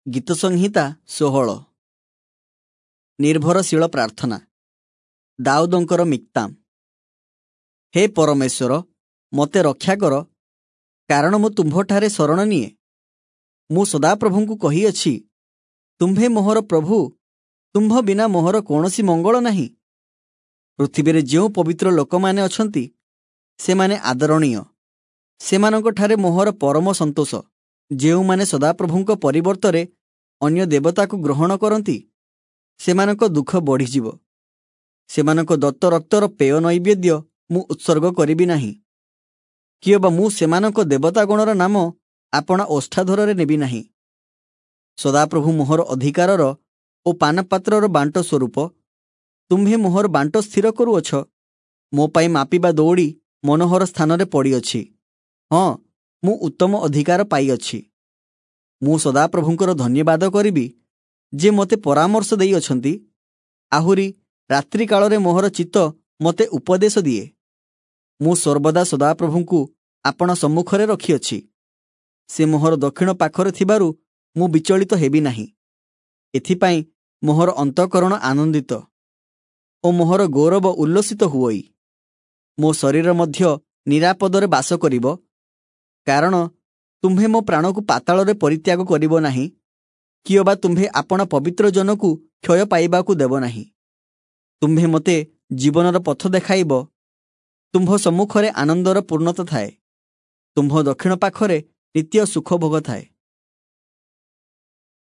ଗୀତସଂହିତା 16। ନିର୍ଭରଶୀଳ ପ୍ରାର୍ଥନା। ଦାଉଦଙ୍କର ମିକ୍ତାମ। ହେ ପରମେଶ୍ୱର, ମୋତେ ରକ୍ଷା କର, କାରଣ ମୁଁ ତୁମ୍ଭଠାରେ ଶରଣ ନିଏ। ମୁଁ ସଦାପ୍ରଭୁଙ୍କୁ କହିଅଛି, ତୁମ୍ଭେ ମୋହର ପ୍ରଭୁ, ତୁମ୍ଭ ବିନା ମୋହର କୌଣସି ମଙ୍ଗଳ ନାହିଁ। ପୃଥିବୀରେ ଯେଉଁ ପବିତ୍ର ଲୋକମାନେ ଅଛନ୍ତି, ସେମାନେ ଆଦରଣୀୟ, ସେମାନଙ୍କଠାରେ ମୋହର ପରମ ସନ୍ତୋଷ। ଯେଉଁମାନେ ସଦାପ୍ରଭୁଙ୍କ ପରିବର୍ତ୍ତରେ ଅନ୍ୟ ଦେବତାକୁ ଗ୍ରହଣ କରନ୍ତି, ସେମାନଙ୍କ ଦୁଃଖ ବଢ଼ିଯିବ। ସେମାନଙ୍କ ଦତ୍ତ ରକ୍ତର ପେୟ ନୈବେଦ୍ୟ ମୁଁ ଉତ୍ସର୍ଗ କରିବି ନାହିଁ, କିଅବା ମୁଁ ସେମାନଙ୍କ ଦେବତାଗଣର ନାମ ଆପଣା ଓଷ୍ଠାଧରରେ ନେବି ନାହିଁ। ସଦାପ୍ରଭୁ ମୋହର ଅଧିକାରର ଓ ପାନପାତ୍ରର ବାଣ୍ଟ ସ୍ୱରୂପ, ତୁମ୍ଭେ ମୋହର ବାଣ୍ଟ ସ୍ଥିର କରୁଅଛ। ମୋ ପାଇଁ ମାପିବା ଦଉଡ଼ି ମନୋହର ସ୍ଥାନରେ ପଡ଼ିଅଛି, ହଁ, ମୁଁ ଉତ୍ତମ ଅଧିକାର ପାଇଅଛି। ମୁଁ ସଦାପ୍ରଭୁଙ୍କର ଧନ୍ୟବାଦ କରିବି, ଯେ ମୋତେ ପରାମର୍ଶ ଦେଇଅଛନ୍ତି। ଆହୁରି ରାତ୍ରିକାଳରେ ମୋହର ଚିତ୍ତ ମୋତେ ଉପଦେଶ ଦିଏ। ମୁଁ ସର୍ବଦା ସଦାପ୍ରଭୁଙ୍କୁ ଆପଣା ସମ୍ମୁଖରେ ରଖିଅଛି। ସେ ମୋହର ଦକ୍ଷିଣ ପାଖରେ ଥିବାରୁ ମୁଁ ବିଚଳିତ ହେବି ନାହିଁ। ଏଥିପାଇଁ ମୋହର ଅନ୍ତଃକରଣ ଆନନ୍ଦିତ ଓ ମୋହର ଗୌରବ ଉଲ୍ଲସିତ ହୁଅଇ। ମୋ ଶରୀର ମଧ୍ୟ ନିରାପଦରେ ବାସ କରିବ, କାରଣ ତୁମ୍ଭେ ମୋ ପ୍ରାଣକୁ ପାତାଳରେ ପରିତ୍ୟାଗ କରିବ ନାହିଁ, କିଅବା ତୁମ୍ଭେ ଆପଣା ପବିତ୍ର ଜନକୁ କ୍ଷୟ ପାଇବାକୁ ଦେବ ନାହିଁ। ତୁମ୍ଭେ ମୋତେ ଜୀବନର ପଥ ଦେଖାଇବ, ତୁମ୍ଭ ସମ୍ମୁଖରେ ଆନନ୍ଦର ପୂର୍ଣ୍ଣତା ଥାଏ, ତୁମ୍ଭ ଦକ୍ଷିଣ ପାଖରେ ନିତ୍ୟ ସୁଖଭୋଗ ଥାଏ।